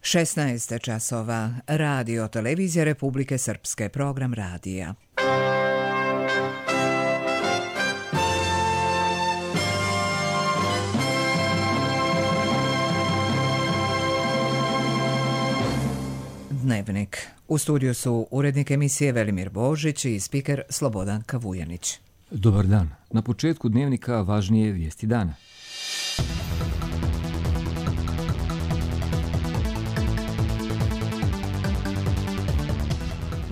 16 časova. Radio Televizija Republike Srpske. Program radija. Dnevnik. U studiju su urednik emisije Velimir Božić i spiker Slobodan Kavujanić. Dobar dan. Na početku dnevnika važnije vijesti dana.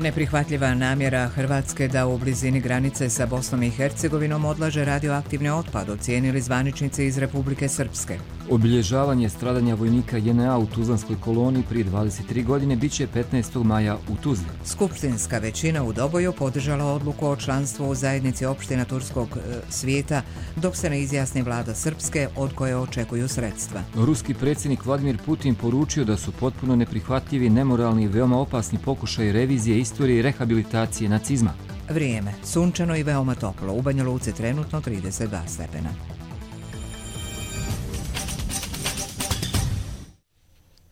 Neprihvatljiva namjera Hrvatske da u blizini granice sa Bosnom i Hercegovinom odlaže radioaktivni otpad, ocijenili zvaničnici iz Republike Srpske. Obilježavanje stradanja vojnika JNA u Tuzlanskoj koloniji prije 23 godine biće 15. maja u Tuzli. Skupštinska većina u Doboju podržala odluku o članstvu u zajednici opština turskog svijeta, dok se ne izjasni vlada Srpske od koje očekuju sredstva. Ruski predsjednik Vladimir Putin poručio da su potpuno neprihvatljivi, nemoralni i veoma opasni pokušaj revizije istorije i rehabilitacije nacizma. Vrijeme. Sunčano i veoma toplo. U Banja Luci trenutno 32 stepena.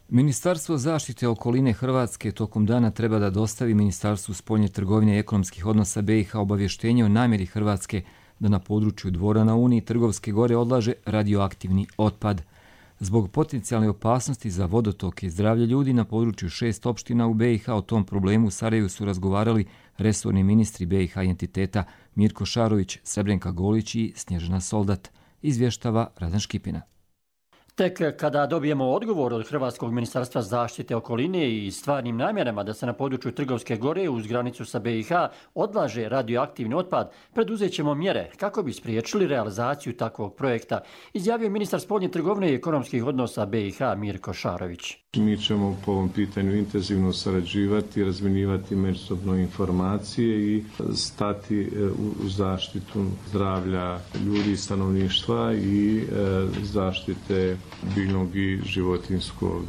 Ministarstvo zaštite okoline Hrvatske tokom dana treba da dostavi Ministarstvu spoljne trgovine i ekonomskih odnosa BiH obavještenje o namjeri Hrvatske da na području Dvora na Uni i Trgovske gore odlaže radioaktivni otpad. Zbog potencijalne opasnosti za vodotoke i zdravlje ljudi na području 6 opština u BiH o tom problemu u Sarajevu su razgovarali resorni ministri BiH i entiteta Mirko Šarović, Srebrenka Golić i Snježana Soldat, izvještava Radan Škipina. Tek kada dobijemo odgovor od Hrvatskog ministarstva zaštite okoline i stvarnim namjerama da se na području Trgovske gore uz granicu sa BiH odlaže radioaktivni otpad, preduzet ćemo mjere kako bi spriječili realizaciju takvog projekta, izjavio ministar spoljne trgovine i ekonomskih odnosa BiH Mirko Šarović. Mi ćemo po ovom pitanju intenzivno sarađivati, razmjenjivati međusobno informacije i stati u zaštitu zdravlja ljudi i stanovništva i zaštite biljnog i životinjskog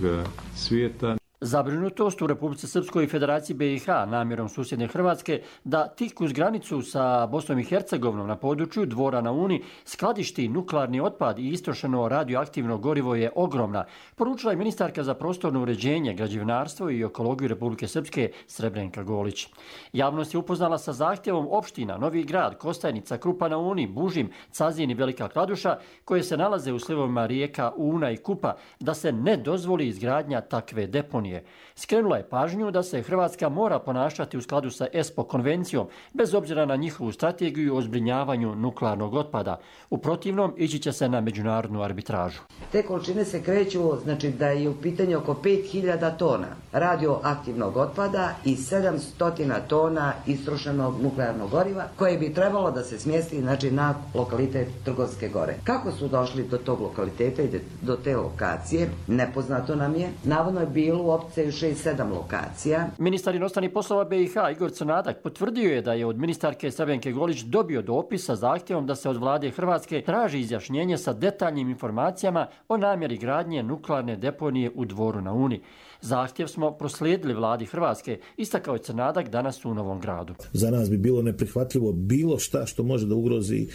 svijeta. Zabrinutost u Republici Srpskoj i Federaciji BiH namjerom susjedne Hrvatske da tik uz granicu sa Bosnom i Hercegovinom na području Dvora na Uni skladišti nuklearni otpad i istrošeno radioaktivno gorivo je ogromna, poručila je ministarka za prostorno uređenje, građevinarstvo i ekologiju Republike Srpske Srebrenka Golić. Javnost je upoznala sa zahtjevom opština Novi Grad, Kostajnica, Krupa na Uni, Bužim, Cazin i Velika Kladuša, koje se nalaze u slivovima rijeka Una i Kupa, da se ne dozvoli izgradnja takve deponije. Skrenula je pažnju da se Hrvatska mora ponašati u skladu sa ESPO konvencijom, bez obzira na njihovu strategiju o zbrinjavanju nuklearnog otpada. U protivnom, ići će se na međunarodnu arbitražu. Te količine se kreću, znači da je u pitanju oko 5000 tona radioaktivnog otpada i 700 tona istrošenog nuklearnog goriva, koje bi trebalo da se smjesti na lokalitet Trgovske gore. Kako su došli do tog lokaliteta i do te lokacije, nepoznato nam je. Navodno je bilo u opciju 6-7 lokacija. Ministar inostranih poslova BiH Igor Crnadak potvrdio je da je od ministarke Srebrenke Golić dobio dopis sa zahtjevom da se od vlade Hrvatske traži izjašnjenje sa detaljnim informacijama o namjeri gradnje nuklearne deponije u Dvoru na Uni. Zahtjev smo proslijedili vladi Hrvatske, istakao je Crnadak danas u Novom Gradu. Za nas bi bilo neprihvatljivo bilo šta što može da ugrozi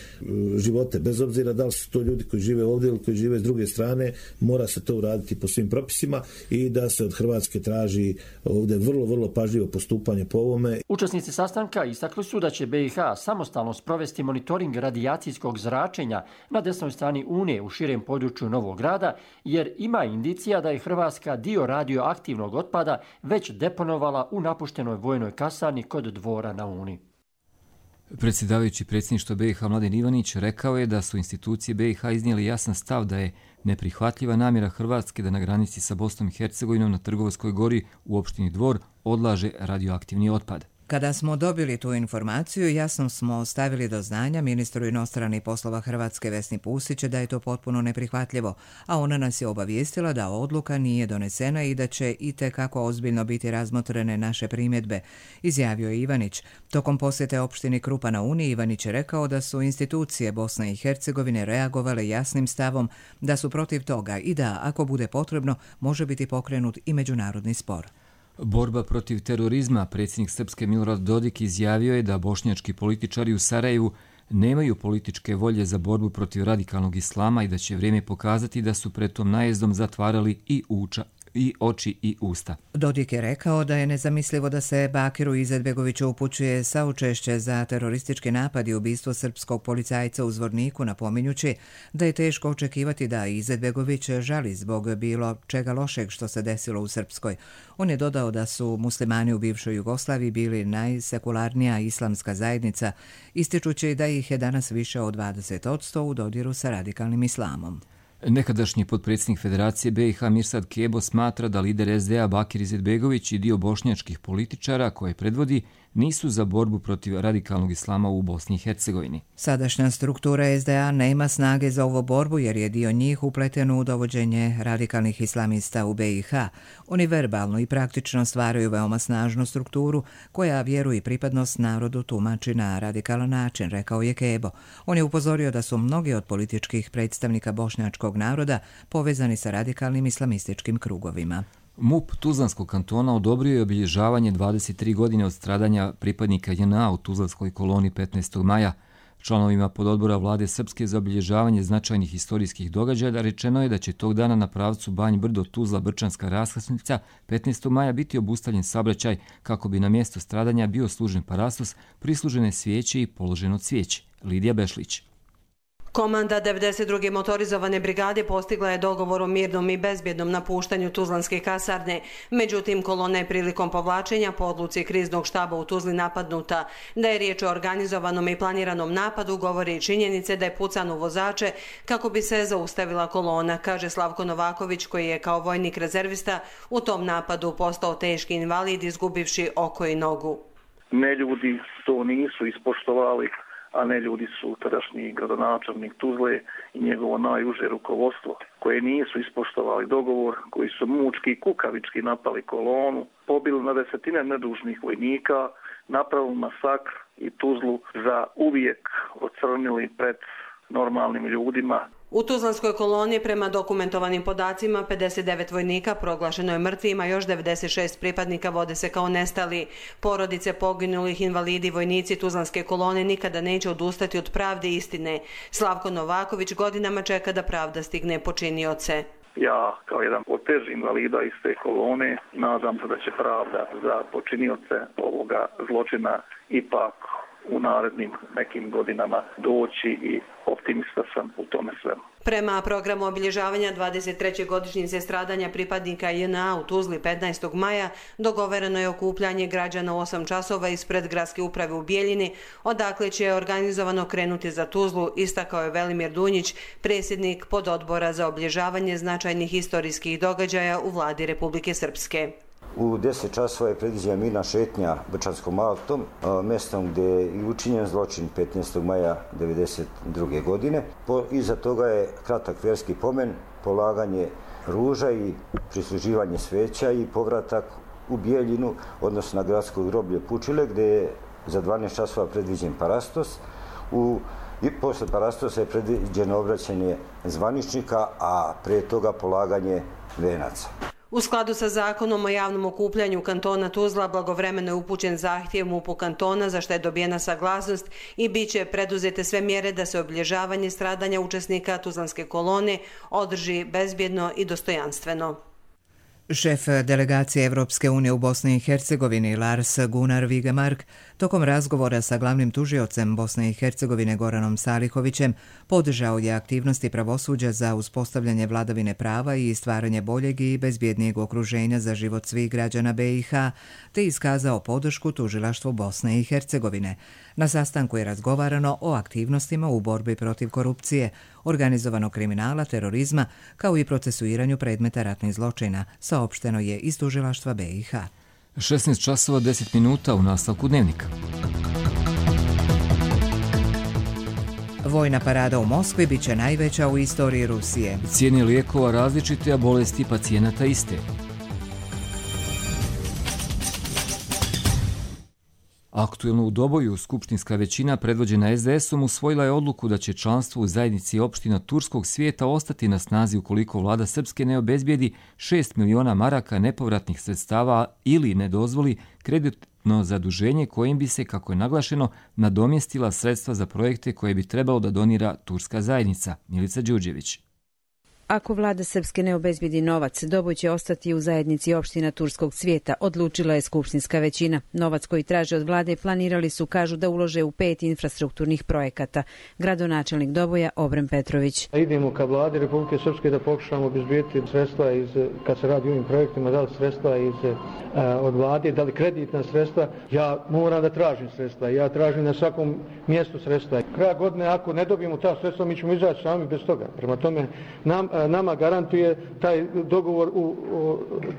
živote, bez obzira da li su to ljudi koji žive ovdje ili koji žive s druge strane, mora se to uraditi po svim propisima i da se od Hrvatske traži ovdje vrlo pažljivo postupanje po ovome. Učesnici sastanka istakli su da će BiH samostalno sprovesti monitoring radijacijskog zračenja na desnoj strani Unije u širem području Novog Grada, jer ima indicija da je Hrvatska dio radioaktivnog otpada već deponovala u napuštenoj vojnoj kasarni kod Dvora na Uni. Predsjedavajući predsjedništva BiH Mladen Ivanić rekao je da su institucije BiH iznijeli jasan stav da je neprihvatljiva namjera Hrvatske da na granici sa Bosnom i Hercegovinom na Trgovskoj gori u opštini Dvor odlaže radioaktivni otpad. Kada smo dobili tu informaciju, jasno smo stavili do znanja ministru inostranih poslova Hrvatske Vesni Pusić da je to potpuno neprihvatljivo, a ona nas je obavijestila da odluka nije donesena i da će itekako ozbiljno biti razmotrene naše primjedbe, izjavio je Ivanić. Tokom posjete opštini Krupa na Uni, Ivanić je rekao da su institucije Bosne i Hercegovine reagovale jasnim stavom da su protiv toga i da, ako bude potrebno, može biti pokrenut i međunarodni spor. Borba protiv terorizma. Predsjednik Srpske Milorad Dodik izjavio je da bošnjački političari u Sarajevu nemaju političke volje za borbu protiv radikalnog islama i da će vrijeme pokazati da su pred tom najezdom zatvarali i i oči i usta. Dodik je rekao da je nezamislivo da se Bakiru Izetbegoviću upućuje saučešće za teroristički napad i ubistvo srpskog policajca u Zvorniku, napominjući da je teško očekivati da Izetbegović žali zbog bilo čega lošeg što se desilo u Srpskoj. On je dodao da su muslimani u bivšoj Jugoslaviji bili najsekularnija islamska zajednica, ističući da ih je danas više od 20% u dodiru sa radikalnim islamom. Nekadašnji potpredsjednik Federacije BiH Mirsad Kebo smatra da lider SDA Bakir Izetbegović i dio bošnjačkih političara koje predvodi nisu za borbu protiv radikalnog islama u Bosni i Hercegovini. Sadašnja struktura SDA nema snage za ovu borbu jer je dio njih upleten u dovođenje radikalnih islamista u BiH. Oni verbalno i praktično stvaraju veoma snažnu strukturu koja vjeru i pripadnost narodu tumači na radikalan način, rekao je Kebo. On je upozorio da su mnogi od političkih predstavnika bošnjačkog naroda povezani sa radikalnim islamističkim krugovima. MUP Tuzlanskog kantona odobrio je obilježavanje 23 godine od stradanja pripadnika JNA u Tuzlanskoj koloni 15. maja. Članovima pododbora vlade Srpske za obilježavanje značajnih historijskih događaja rečeno je da će tog dana na pravcu Banj Brdo Tuzla Brčanska raskrsnica 15. maja biti obustavljen saobraćaj kako bi na mjesto stradanja bio služen parastos, prislužene svijeće i položeno cvijeće. Lidija Bešlić. Komanda 92. motorizovane brigade postigla je dogovor o mirnom i bezbjednom napuštanju Tuzlanske kasarne. Međutim, kolona je prilikom povlačenja po odluci kriznog štaba u Tuzli napadnuta. Da je riječ o organizovanom i planiranom napadu govori i činjenice da je pucano u vozače kako bi se zaustavila kolona, kaže Slavko Novaković koji je kao vojnik rezervista u tom napadu postao teški invalid izgubivši oko i nogu. Neljudi to nisu ispoštovali, a ne ljudi su tadašnji gradonačelnik Tuzle i njegovo najuže rukovodstvo, koje nisu ispoštovali dogovor, koji su mučki i kukavički napali kolonu, pobili na desetine nedužnih vojnika, napravili masakr i Tuzlu za uvijek ocrnili pred normalnim ljudima. U Tuzlanskoj koloni prema dokumentovanim podacima 59 vojnika proglašeno je mrtvima, još 96 pripadnika vode se kao nestali. Porodice poginulih, invalidi, vojnici Tuzlanske kolone nikada neće odustati od pravde i istine. Slavko Novaković godinama čeka da pravda stigne počinioce. Ja, kao jedan od težih invalida iz te kolone, nadam se da će pravda za počinioce ovoga zločina ipak u narednim nekim godinama doći i optimista sam u tome svemu. Prema programu obilježavanja 23. godišnjice stradanja pripadnika JNA u Tuzli 15. maja dogovoreno je okupljanje građana u 8 časova ispred gradske uprave u Bijeljini, odakle će organizovano krenuti za Tuzlu, istakao je Velimir Dunjić, predsjednik pododbora za obilježavanje značajnih historijskih događaja u vladi Republike Srpske. U 10 časova je predviđena mirna šetnja Brčanskom altom, mjestom gdje je i učinjen zločin 15. maja 1992. godine. Iza toga je kratak vjerski pomen, polaganje ruža i prisluživanje sveća i povratak u Bijeljinu, odnosno na gradsko groblje Pučile, gdje je za 12 časova predviđen parastos. I posle parastosa je predviđeno obraćanje zvaničnika, a prije toga polaganje venaca. U skladu sa zakonom o javnom okupljanju kantona Tuzla blagovremeno je upućen zahtjev MUP-u kantona za što je dobijena saglasnost i bit će preduzete sve mjere da se obilježavanje stradanja učesnika Tuzlanske kolone održi bezbjedno i dostojanstveno. Šef delegacije Evropske unije u Bosni i Hercegovini Lars Gunnar Vigemark tokom razgovora sa glavnim tužiocem Bosne i Hercegovine Goranom Salihovićem podržao je aktivnosti pravosuđa za uspostavljanje vladavine prava i stvaranje boljeg i bezbjednijeg okruženja za život svih građana BiH, te iskazao podršku tužilaštvu Bosne i Hercegovine. Na sastanku je razgovarano o aktivnostima u borbi protiv korupcije, organizovanog kriminala, terorizma, kao i procesuiranju predmeta ratnih zločina, saopšteno je iz tužilaštva BiH. 16 časova 10 minuta u nastavku dnevnika. Vojna parada u Moskvi bit će najveća u istoriji Rusije. Cijene lijekova različite, a bolesti pacijenata iste. Aktuelno u Doboju skupštinska većina predvođena SDS-om usvojila je odluku da će članstvo u zajednici opština Turskog svijeta ostati na snazi ukoliko vlada Srpske ne obezbijedi 6 miliona maraka nepovratnih sredstava ili ne dozvoli kreditno zaduženje kojim bi se, kako je naglašeno, nadomjestila sredstva za projekte koje bi trebalo da donira turska zajednica. Milica Đurđević. Ako vlada Srpske ne obezbedi novac, Doboj će ostati u zajednici opština Turskog Cvijeta, odlučila je skupštinska većina. Novac koji traže od vlade planirali su, kažu, da ulože u 5 infrastrukturnih projekata. Gradonačelnik Doboja Obren Petrović. Idemo ka vladi Republike Srpske da pokušamo obezbediti sredstva kad se radi o ovim projektima, da li sredstva od vlade, da li kreditna sredstva. Ja moram da tražim sredstva, ja tražim na svakom mjestu sredstva. Kraja godine, ako ne dobijemo ta sredstva, mi ćemo izaći sami bez toga. Prema tome, nama garantuje taj dogovor u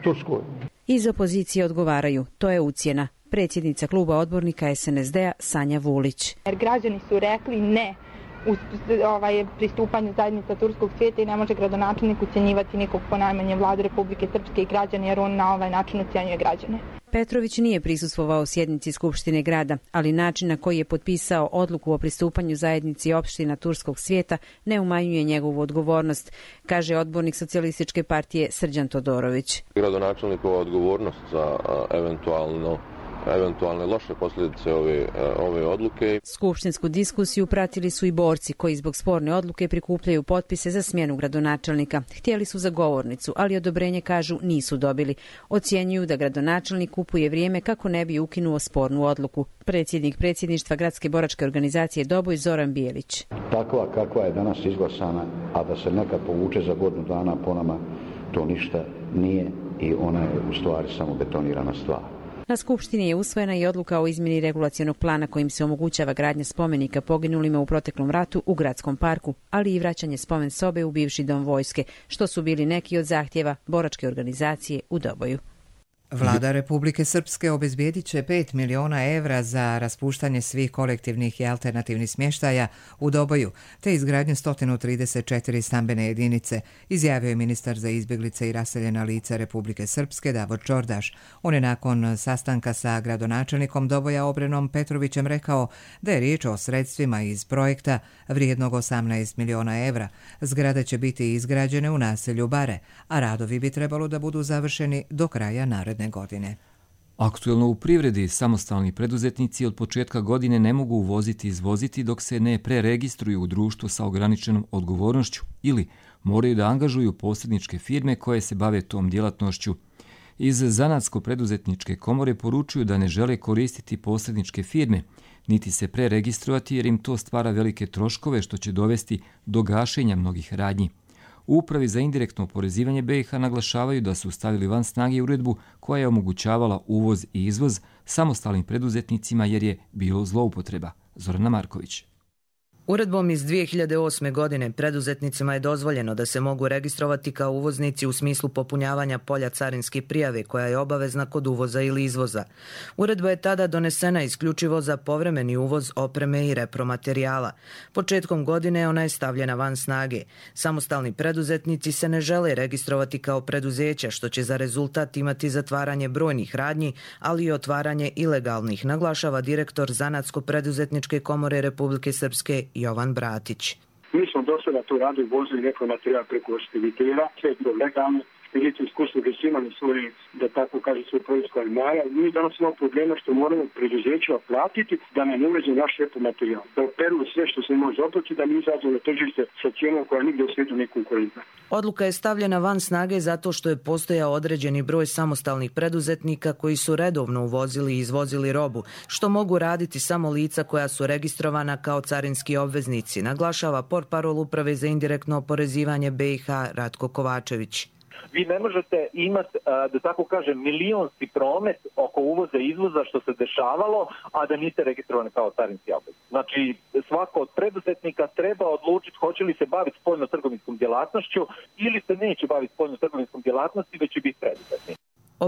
Turskoj. Iz opozicije odgovaraju, to je ucjena. Predsjednica kluba odbornika SNSD-a Sanja Vulić. Jer građani su rekli ne u pristupanju zajednica Turskog Cvijeta i ne može gradonačelnik ucjenjivati nikog, ponajmanje vlade Republike Srpske i građane, jer on na ovaj način ucjenjuje građane. Petrović nije prisustvovao sjednici Skupštine grada, ali način na koji je potpisao odluku o pristupanju zajednici opština Turskog Svijeta ne umanjuje njegovu odgovornost, kaže odbornik Socijalističke partije Srđan Todorović. Gradonačelnikova odgovornost za eventualne loše posljedice ove odluke. Skupštinsku diskusiju pratili su i borci koji zbog sporne odluke prikupljaju potpise za smjenu gradonačelnika. Htjeli su za govornicu, ali odobrenje, kažu, nisu dobili. Ocjenjuju da gradonačelnik kupuje vrijeme kako ne bi ukinuo spornu odluku. Predsjednik predsjedništva gradske boračke organizacije Doboj Zoran Bijelić. Takva kakva je danas izglasana, a da se nekad povuče za godinu dana po nama, to ništa nije i ona je u stvari samo betonirana stvar. Na Skupštini je usvojena i odluka o izmjeni regulacionog plana kojim se omogućava gradnja spomenika poginulima u proteklom ratu u gradskom parku, ali i vraćanje spomen sobe u bivši dom vojske, što su bili neki od zahtjeva boračke organizacije u Doboju. Vlada Republike Srpske obezbijedit će 5 miliona evra za raspuštanje svih kolektivnih i alternativnih smještaja u Doboju, te izgradnju 134 stambene jedinice, izjavio je ministar za izbjeglice i raseljena lica Republike Srpske Davor Čordaš. On je nakon sastanka sa gradonačelnikom Doboja Obrenom Petrovićem rekao da je riječ o sredstvima iz projekta vrijednog 18 miliona evra. Zgrade će biti izgrađene u naselju Bare, a radovi bi trebalo da budu završeni do kraja naredne godine. Aktuelno u privredi samostalni preduzetnici od početka godine ne mogu uvoziti i izvoziti dok se ne preregistruju u društvo sa ograničenom odgovornošću ili moraju da angažuju posredničke firme koje se bave tom djelatnošću. Iz Zanatsko-preduzetničke komore poručuju da ne žele koristiti posredničke firme, niti se preregistrovati jer im to stvara velike troškove što će dovesti do gašenja mnogih radnji. U Upravi za indirektno oporezivanje BiH naglašavaju da su stavili van snage uredbu koja je omogućavala uvoz i izvoz samostalnim preduzetnicima jer je bilo zloupotreba. Zorana Marković. Uredbom iz 2008. godine preduzetnicima je dozvoljeno da se mogu registrovati kao uvoznici u smislu popunjavanja polja carinske prijave koja je obavezna kod uvoza ili izvoza. Uredba je tada donesena isključivo za povremeni uvoz opreme i repromaterijala. Početkom godine ona je stavljena van snage. Samostalni preduzetnici se ne žele registrovati kao preduzeća, što će za rezultat imati zatvaranje brojnih radnji, ali i otvaranje ilegalnih, naglašava direktor Zanatsko-preduzetničke komore Republike Srpske Jovan Bratić. Mi smo do sada tu radili, vozili neko materijal preko speditera, sve je bilo legalno, spedicijske usluge su imali svoje, da tako kaže, svoj proizvod maja. Mi danas imamo problema što moramo preduzećima platiti da nam uveže naš repromaterijal, da operu sve što se može oplatiti, da mi izađemo na tržište sa cijenom koja nigdje u svijetu nije konkurentna. Odluka je stavljena van snage zato što je postojao određeni broj samostalnih preduzetnika koji su redovno uvozili i izvozili robu, što mogu raditi samo lica koja su registrovana kao carinski obveznici, naglašava portparol Uprave za indirektno oporezivanje BiH Ratko Kovačević. Vi ne možete imati, da tako kažem, milionski promet oko uvoza i izvoza što se dešavalo, a da niste registrovani kao carinski obveznik. Znači, svako od preduzetnika treba odlučiti hoće li se baviti spoljno-trgovinskom djelatnošću ili se neće baviti spoljno-trgovinskom djelatnosti, već će biti preduzetnik.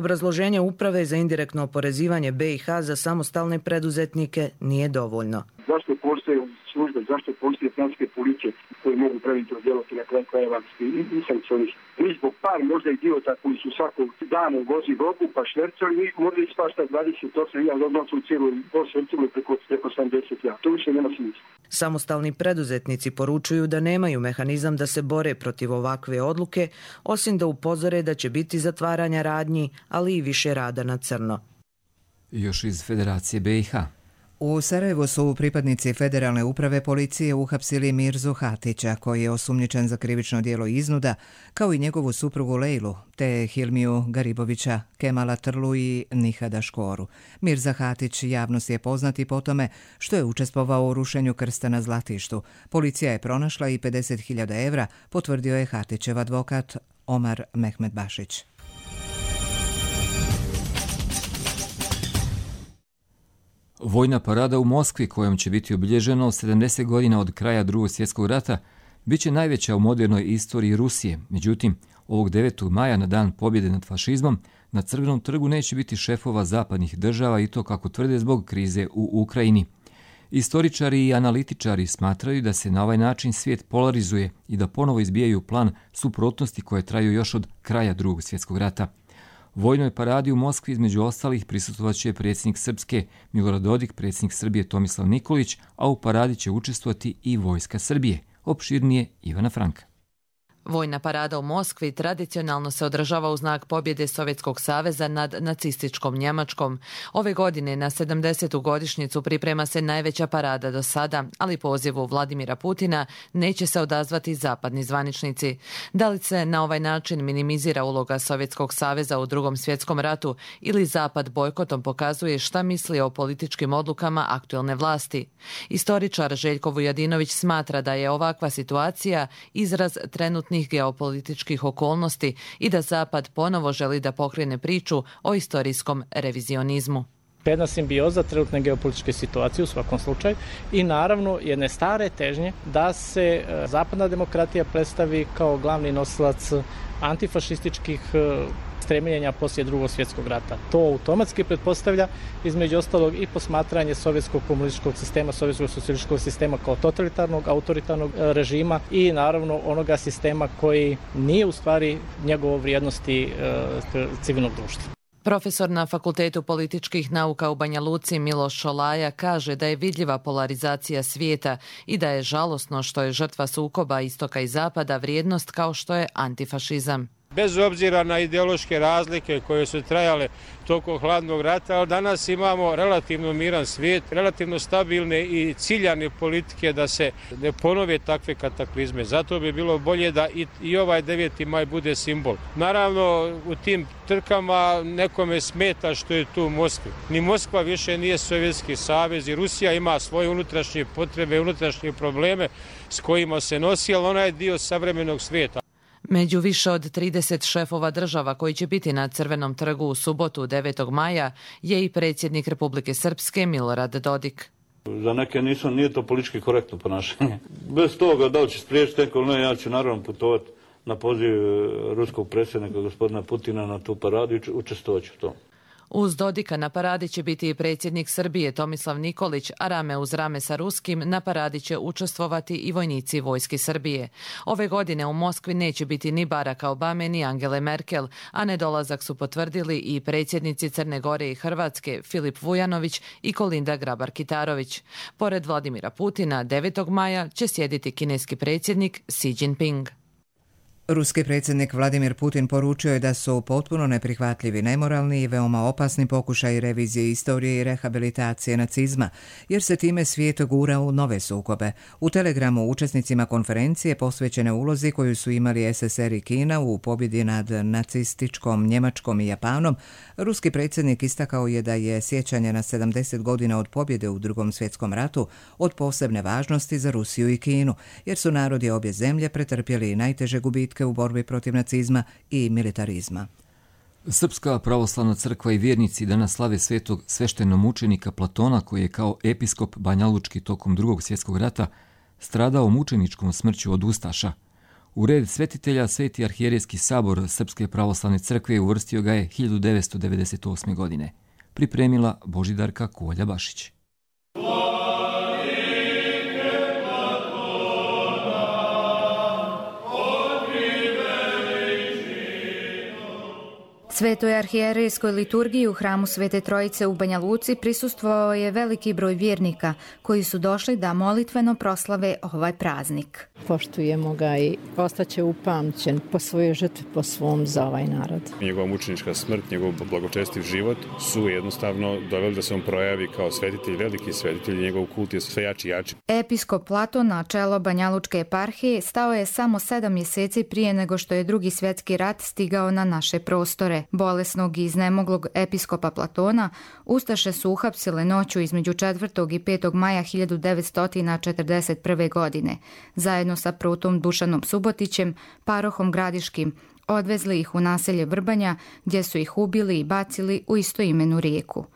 Obrazloženje Uprave za indirektno oporezivanje BiH za samostalne preduzetnike nije dovoljno. Zašto postoje službe, zašto postoje financijske policije koje mogu preventivno djelovati na kraju krajeva i sankcionisati? Mi zbog par možda idiota koji su svakog dana uvozi robu pa švercali, mi možda ispašta 28 odnosno u cijelu preko 70 ja. To više nema smisla. Samostalni preduzetnici poručuju da nemaju mehanizam da se bore protiv ovakve odluke, osim da upozore da će biti zatvaranja radnji, ali i više rada na crno. Još iz Federacije BiH. U Sarajevu su pripadnici Federalne uprave policije uhapsili Mirzu Hatića, koji je osumnjičen za krivično djelo iznuda, kao i njegovu suprugu Lejlu, te Hilmiju Garibovića, Kemala Trlu i Nihada Škoru. Mirza Hatić javnosti je poznat i po tome što je učestvovao u rušenju krsta na Zlatištu. Policija je pronašla i 50.000 evra, potvrdio je Hatićev advokat Omar Mehmed Bašić. Vojna parada u Moskvi, kojom će biti obilježeno 70 godina od kraja Drugog svjetskog rata, bit će najveća u modernoj istoriji Rusije. Međutim, ovog 9. maja, na dan pobjede nad fašizmom, na Crvenom trgu neće biti šefova zapadnih država, i to, kako tvrde, zbog krize u Ukrajini. Istoričari i analitičari smatraju da se na ovaj način svijet polarizuje i da ponovo izbijaju plan suprotnosti koje traju još od kraja Drugog svjetskog rata. Vojnoj paradi u Moskvi između ostalih prisustvovat će predsjednik Srpske Milorad Dodik, predsjednik Srbije Tomislav Nikolić, a u paradi će učestvovati i vojska Srbije. Opširnije Ivana Franka. Vojna parada u Moskvi tradicionalno se održava u znak pobjede Sovjetskog saveza nad nacističkom Njemačkom. Ove godine na 70. godišnjicu priprema se najveća parada do sada, ali pozivu Vladimira Putina neće se odazvati zapadni zvaničnici. Da li se na ovaj način minimizira uloga Sovjetskog saveza u Drugom svjetskom ratu ili Zapad bojkotom pokazuje šta misli o političkim odlukama aktuelne vlasti? Istoričar Željko Vujadinović smatra da je ovakva situacija izraz trenutnih geopolitičkih okolnosti i da Zapad ponovo želi da pokrene priču o istorijskom revizionizmu. Jedna simbioza trenutne geopolitičke situacije u svakom slučaju i naravno jedne stare težnje da se zapadna demokratija predstavi kao glavni nosilac antifašističkih stremljenja poslije Drugog svjetskog rata. To automatski pretpostavlja između ostalog i posmatranje sovjetskog komunističkog sistema, sovjetskog socijalističkog sistema kao totalitarnog, autoritarnog režima i naravno onoga sistema koji nije u stvari njegovo vrijednosti civilnog društva. Profesor na Fakultetu političkih nauka u Banja Luci Miloš Šolaja kaže da je vidljiva polarizacija svijeta i da je žalosno što je žrtva sukoba istoka i zapada vrijednost kao što je antifašizam. Bez obzira na ideološke razlike koje su trajale tokom hladnog rata, ali danas imamo relativno miran svijet, relativno stabilne i ciljane politike da se ne ponove takve kataklizme. Zato bi bilo bolje da i ovaj 9. maj bude simbol. Naravno, u tim trkama nekome smeta što je tu Moskva. Ni Moskva više nije Sovjetski savez i Rusija ima svoje unutrašnje potrebe, unutrašnje probleme s kojima se nosi, ali ona je dio savremenog svijeta. Među više od 30 šefova država koji će biti na Crvenom trgu u subotu 9. maja je i predsjednik Republike Srpske Milorad Dodik. Za neke nije to politički korektno ponašanje. Bez toga da li će spriječiti neko ili ne, ja ću naravno putovati na poziv ruskog predsjednika gospodina Putina na tu paradu i učestvovat ću u tom. Uz Dodika na paradi će biti i predsjednik Srbije Tomislav Nikolić, a rame uz rame sa ruskim na paradi će učestvovati i vojnici vojske Srbije. Ove godine u Moskvi neće biti ni Baracka Obame ni Angele Merkel, a nedolazak su potvrdili i predsjednici Crne Gore i Hrvatske Filip Vujanović i Kolinda Grabar-Kitarović. Pored Vladimira Putina, 9. maja će sjediti kineski predsjednik Xi Jinping. Ruski predsjednik Vladimir Putin poručio je da su potpuno neprihvatljivi, nemoralni i veoma opasni pokušaji revizije istorije i rehabilitacije nacizma, jer se time svijet gura u nove sukobe. U telegramu učesnicima konferencije posvećene ulozi koju su imali SSR i Kina u pobjedi nad nacističkom Njemačkom i Japanom, ruski predsjednik istakao je da je sjećanje na 70 godina od pobjede u Drugom svjetskom ratu od posebne važnosti za Rusiju i Kinu, jer su narodi obje zemlje pretrpjeli najteže gubitke u borbi protiv nacizma i militarizma. Srpska pravoslavna crkva i vjernici danas slave svetog sveštenomučenika Platona, koji je kao episkop banjalučki tokom Drugog svjetskog rata stradao mučeničkom smrću od ustaša. U red svetitelja Sveti arhijerejski sabor Srpske pravoslavne crkve uvrstio ga je 1998. godine. Pripremila Božidarka Kolja-Bašić. Svetoj arhijerejskoj liturgiji u hramu Svete Trojice u Banja Luci prisustvovao je veliki broj vjernika koji su došli da molitveno proslave ovaj praznik. Poštujemo ga i ostaće upamćen po svojoj žrtvi, po svom za ovaj narod. Njegova mučenička smrt, njegov blagočestiv život su jednostavno doveli da se on projavi kao svetitelj, veliki svetitelj, njegov kult je sve jači i jači. Episkop Platon na čelo Banjalučke eparhije stao je samo 7 mjeseci prije nego što je Drugi svjetski rat stigao na naše prostore. Bolesnog i iznemoglog episkopa Platona ustaše su uhapsile noću između 4. i 5. maja 1941. godine. Zajedno sa protom Dušanom Subotićem, parohom Gradiškim, odvezli ih u naselje Vrbanja gdje su ih ubili i bacili u istoimenu rijeku.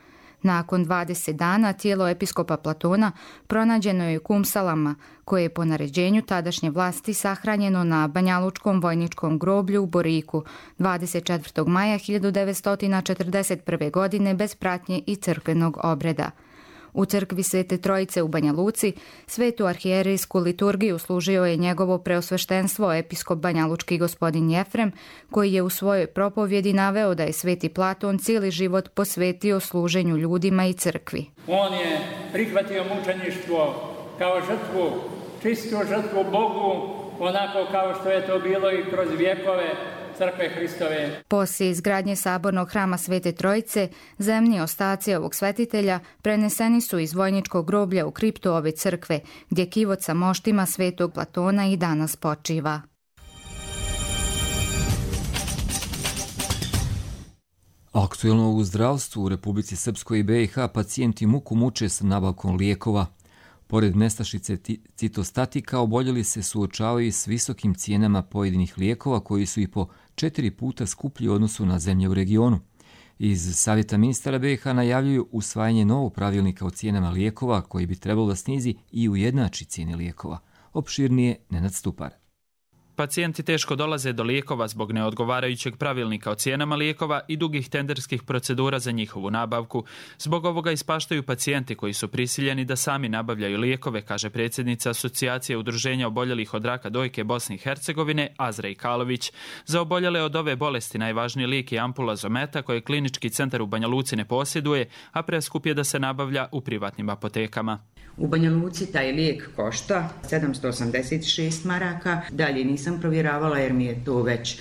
Nakon 20 dana tijelo episkopa Platona pronađeno je u Kumsalama, koje je po naređenju tadašnje vlasti sahranjeno na Banjalučkom vojničkom groblju u Boriku 24. maja 1941. godine bez pratnje i crkvenog obreda. U crkvi Svete Trojice u Banja Luci svetu arhijerejsku liturgiju služio je njegovo preosveštenstvo episkop banjalučki gospodin Jefrem, koji je u svojoj propovjedi naveo da je sveti Platon cijeli život posvetio služenju ljudima i crkvi. On je prihvatio mučeništvo kao žrtvu, čistu žrtvu Bogu, onako kao što je to bilo i kroz vjekove Crkve Hristove. Poslije izgradnje sabornog hrama Svete Trojice, zemni ostaci ovog svetitelja preneseni su iz vojničkog groblja u kriptu ove crkve, gdje kivot sa moštima svetog Platona i danas počiva. Aktuelno u zdravstvu u Republici Srpskoj i BiH pacijenti muku muče sa nabavkom lijekova. Pored nestašice citostatika, oboljeli se suočavaju s visokim cijenama pojedinih lijekova koji su i po 4 puta skuplji u odnosu na zemlje u regionu. Iz Savjeta ministara BiH najavljuju usvajanje novog pravilnika o cijenama lijekova koji bi trebalo da snizi i ujednači cijene lijekova. Opširnije Nenad Stupar. Pacijenti teško dolaze do lijekova zbog neodgovarajućeg pravilnika o cijenama lijekova i dugih tenderskih procedura za njihovu nabavku. Zbog ovoga ispaštaju pacijenti koji su prisiljeni da sami nabavljaju lijekove, kaže predsjednica Asocijacije udruženja oboljelih od raka dojke Bosne i Hercegovine Azra Ikalović. Za oboljele od ove bolesti najvažniji lijek je ampula Zometa koje klinički centar u Banja Luci ne posjeduje, a preskup je da se nabavlja u privatnim apotekama. U Banja Luci taj lijek košta 786 maraka, dalje nisam provjeravala jer mi je to već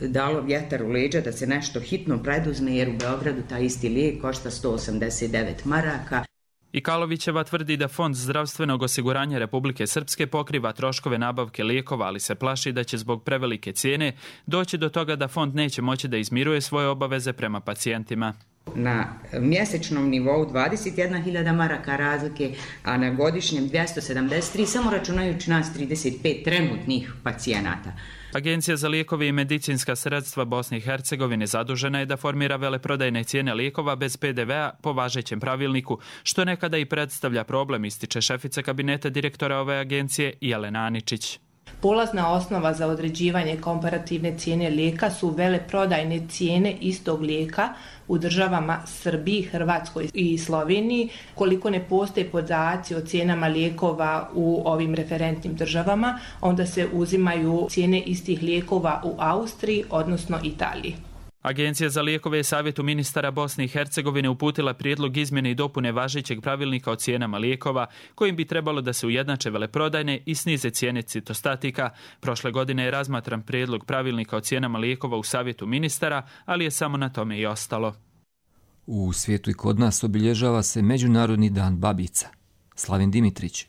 dalo vjetar u leđa da se nešto hitno preduzme jer u Beogradu taj isti lijek košta 189 maraka. Ikalovićeva tvrdi da Fond zdravstvenog osiguranja Republike Srpske pokriva troškove nabavke lijekova, ali se plaši da će zbog prevelike cijene doći do toga da fond neće moći da izmiruje svoje obaveze prema pacijentima. Na mjesečnom nivou 21.000 maraka razlike, a na godišnjem 273, samo računajući nas 35 trenutnih pacijenata. Agencija za lijekove i medicinska sredstva Bosne i Hercegovine zadužena je da formira veleprodajne cijene lijekova bez PDV-a po važećem pravilniku, što nekada i predstavlja problem, ističe šefica kabineta direktora ove agencije Jelena Aničić. Polazna osnova za određivanje komparativne cijene lijeka su veleprodajne cijene istog lijeka u državama Srbiji, Hrvatskoj i Sloveniji. Koliko ne postoje podaci o cijenama lijekova u ovim referentnim državama, onda se uzimaju cijene istih lijekova u Austriji, odnosno Italiji. Agencija za lijekove je Savjetu ministara Bosne i Hercegovine uputila prijedlog izmjene i dopune važećeg pravilnika o cijenama lijekova, kojim bi trebalo da se ujednače veleprodajne i snize cijene citostatika. Prošle godine je razmatran prijedlog pravilnika o cijenama lijekova u Savjetu ministara, ali je samo na tome i ostalo. U svijetu i kod nas obilježava se Međunarodni dan babica. Slavin Dimitrić.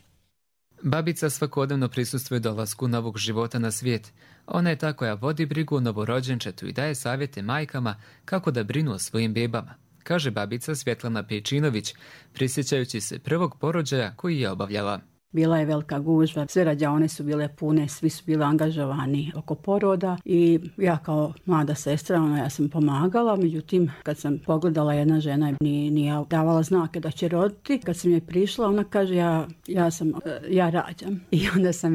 Babica svakodnevno prisustvuje dolasku novog života na svijet. Ona je ta koja vodi brigu o novorođenčetu i daje savjete majkama kako da brinu o svojim bebama, kaže babica Svjetlana Pečinović, prisjećajući se prvog porođaja koji je obavljala. Bila je velika gužva, sve rađaone su bile pune, svi su bili angažovani oko poroda i ja kao mlada sestra, ja sam pomagala, međutim kad sam pogledala, jedna žena nije davala znake da će roditi, kad sam je prišla, ona kaže ja rađam i onda sam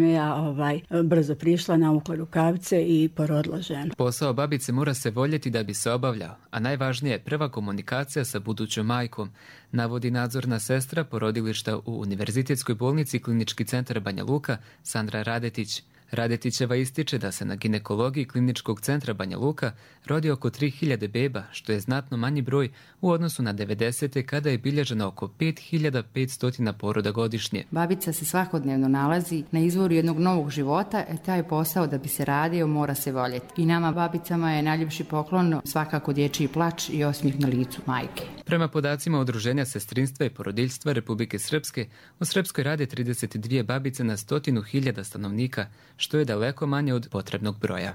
brzo prišla, navukla rukavice i porodila ženu. Posao babice mora se voljeti da bi se obavljao, a najvažnije je prva komunikacija sa budućom majkom, navodi nadzorna sestra porodilišta u Univerzitetskoj bolnici Klinički centar Banja Luka Sandra Radetić. Radetićeva ističe da se na ginekologiji Kliničkog centra Banja Luka rodi oko 3000 beba, što je znatno manji broj u odnosu na 90. kada je bilježeno oko 5500 poroda godišnje. Babica se svakodnevno nalazi na izvoru jednog novog života, taj posao da bi se radio mora se voljeti. I nama babicama je najljepši poklon svakako dječji plač i osmijeh na licu majke. Prema podacima Udruženja sestrinstva i porodiljstva Republike Srpske, u Srpskoj rade 32 babice na 100.000 stanovnika, što je daleko manje od potrebnog broja.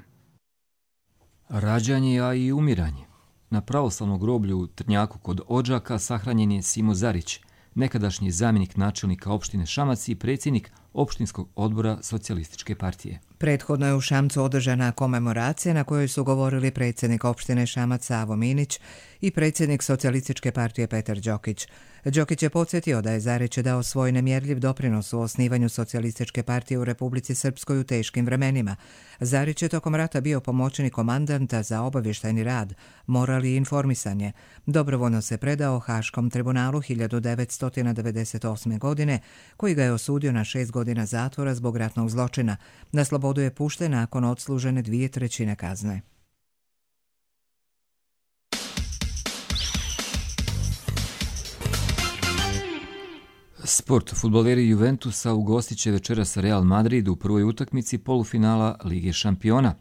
Rađanje, a i umiranje. Na pravoslavnom groblju u Trnjaku kod Odžaka sahranjen je Simo Zarić, nekadašnji zamjenik načelnika opštine Šamac i predsjednik opštinskog odbora Socijalističke partije. Prethodno je u Šamcu održana komemoracija na kojoj su govorili predsjednik opštine Šamac Savo Minić i predsjednik Socijalističke partije Petar Đokić. Đokić je podsjetio da je Zarić dao svoj nemjerljiv doprinos u osnivanju Socijalističke partije u Republici Srpskoj u teškim vremenima. Zarić je tokom rata bio pomoćnik komandanta za obavještajni rad, moral i informisanje. Dobrovoljno se predao Haškom tribunalu 1998. godine, koji ga je osudio na 6 godina zatvora zbog ratnog zločina. Na slobodu je pušten nakon odslužene 2/3 kazne. Sport. Fudbaleri Juventusa ugostit će večeras Real Madrid u prvoj utakmici polufinala Lige šampiona.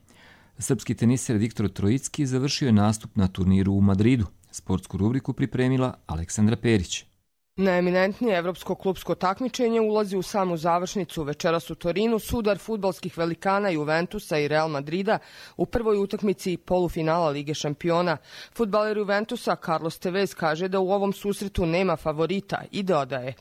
Srpski teniser Viktor Trojicki završio je nastup na turniru u Madridu. Sportsku rubriku pripremila Aleksandra Perić. Najeminentnije evropsko klupsko takmičenje ulazi u samu završnicu. Večeras u Torinu sudar fudbalskih velikana Juventusa i Real Madrida u prvoj utakmici polufinala Lige šampiona. Fudbaler Juventusa Carlos Tevez kaže da u ovom susretu nema favorita i dodaje: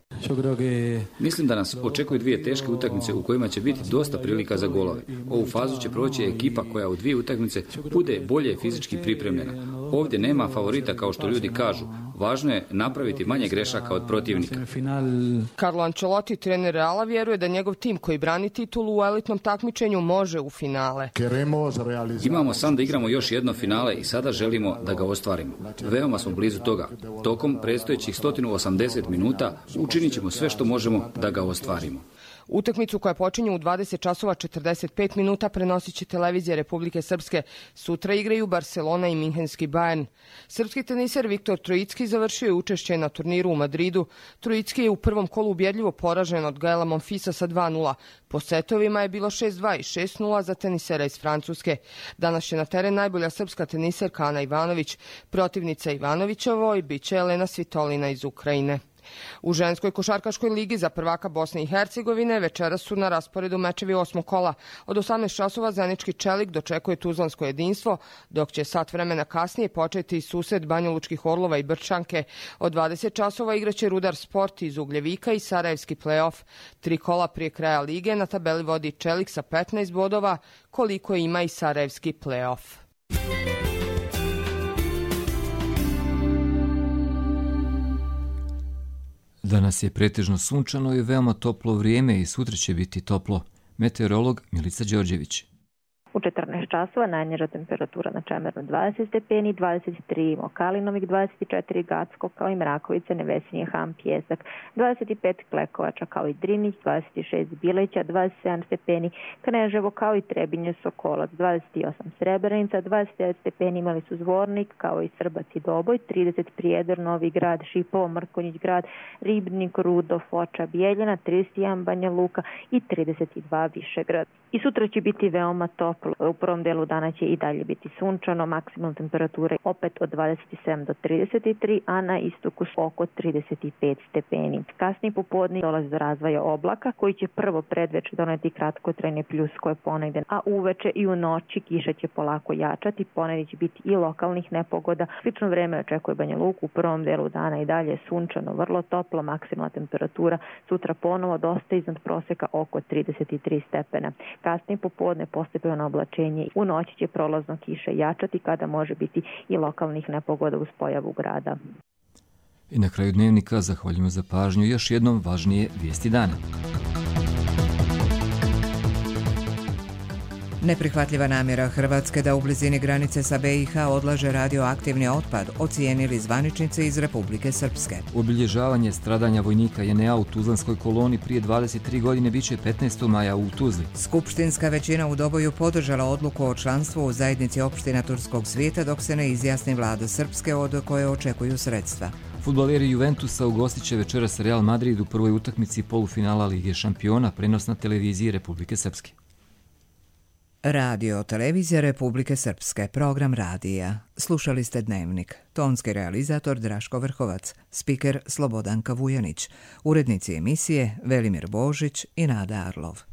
Mislim da nas očekuju dvije teške utakmice u kojima će biti dosta prilika za golove. Ovu fazu će proći ekipa koja u dvije utakmice bude bolje fizički pripremljena. Ovdje nema favorita kao što ljudi kažu. Važno je napraviti manje grešaka od protivnika. Carlo Ancelotti, trener Reala, vjeruje da njegov tim koji brani titulu u elitnom takmičenju može u finale. Imamo san da igramo još jedno finale i sada želimo da ga ostvarimo. Veoma smo blizu toga. Tokom predstojećih 180 minuta učinit ćemo sve što možemo da ga ostvarimo. Utakmicu koja počinje u 20 časova 45 minuta prenosit će televizija Republike Srpske. Sutra igraju Barcelona i Minhenski Bayern. Srpski teniser Viktor Trojicki završio je učešće na turniru u Madridu. Trojicki je u prvom kolu ubjedljivo poražen od Gaela Monfilsa sa 2:0. Po setovima je bilo 6:2 i 6:0 za tenisera iz Francuske. Danas će na teren najbolja srpska teniserka Ana Ivanović. Protivnica Ivanovićevoj biće Elena Svitolina iz Ukrajine. U ženskoj košarkaškoj ligi za prvaka Bosne i Hercegovine večeras su na rasporedu mečevi 8. kola. Od 18 časova Zenički Čelik dočekuje Tuzlansko jedinstvo, dok će sat vremena kasnije početi susret Banjalučkih Orlova i Brčanke. Od 20 časova igraće Rudar Sport iz Ugljevika i Sarajevski play-off. 3 kola prije kraja lige na tabeli vodi Čelik sa 15 bodova, koliko ima i Sarajevski play-off. Danas je pretežno sunčano i veoma toplo vrijeme i sutra će biti toplo. Meteorolog Milica Đorđević. U 14 časova najniža temperatura na Čemeru 20 stepeni, 23 Mokalinovik, 24 Gacko, kao i Mrakovice, Nevesinje, Ham, Pjesak, 25 Klekovača, kao i Drinić, 26 Bileća, 27 stepeni Kneževo, kao i Trebinje, Sokolac, 28 Srebrenica, 29 stepeni imali su Zvornik, kao i Srbac i Doboj, 30 Prijedor, Novi Grad, Šipovo, Mrkonjić Grad, Ribnik, Rudo, Foča, Bijeljina, 31 Banja Luka i 32 Višegrad. I sutra će biti veoma toplo. U prvom delu dana će i dalje biti sunčano, maksimalna temperatura opet od 27 do 33, a na istoku oko 35 stepeni. Kasnije popodne dolazi do razvoja oblaka koji će prvo predveče doneti kratkotrajne pljuskove ponegde, a uveče i u noći kiša će polako jačati, ponegde će biti i lokalnih nepogoda. Slično vreme očekuje Banja Luku, u prvom delu dana i dalje sunčano, vrlo toplo, maksimalna temperatura sutra ponovo dosta iznad proseka oko 33 stepena. Kasnije popodne postepeno oblačenje. U noći će prolazno kiše jačati kada može biti i lokalnih nepogoda uz pojavu grada. I na kraju dnevnika zahvaljujemo za pažnju još jednom važnije vijesti dana. Neprihvatljiva namjera Hrvatske da u blizini granice sa BiH odlaže radioaktivni otpad, ocijenili zvaničnici iz Republike Srpske. Obilježavanje stradanja vojnika JNA u Tuzlanskoj koloni prije 23 godine biće 15. maja u Tuzli. Skupštinska većina u Doboju podržala odluku o članstvu u zajednici opština Turskog svijeta dok se ne izjasni vlada Srpske od koje očekuju sredstva. Fudbaleri Juventusa ugostit će večeras Real Madrid u prvoj utakmici polufinala Lige šampiona, prenos na televiziji Republike Srpske. Radio televizija Republike Srpske, program radija. Slušali ste Dnevnik. Tonski realizator Draško Vrhovac, spiker Slobodanka Vujanić, urednici emisije Velimir Božić i Nada Arlov.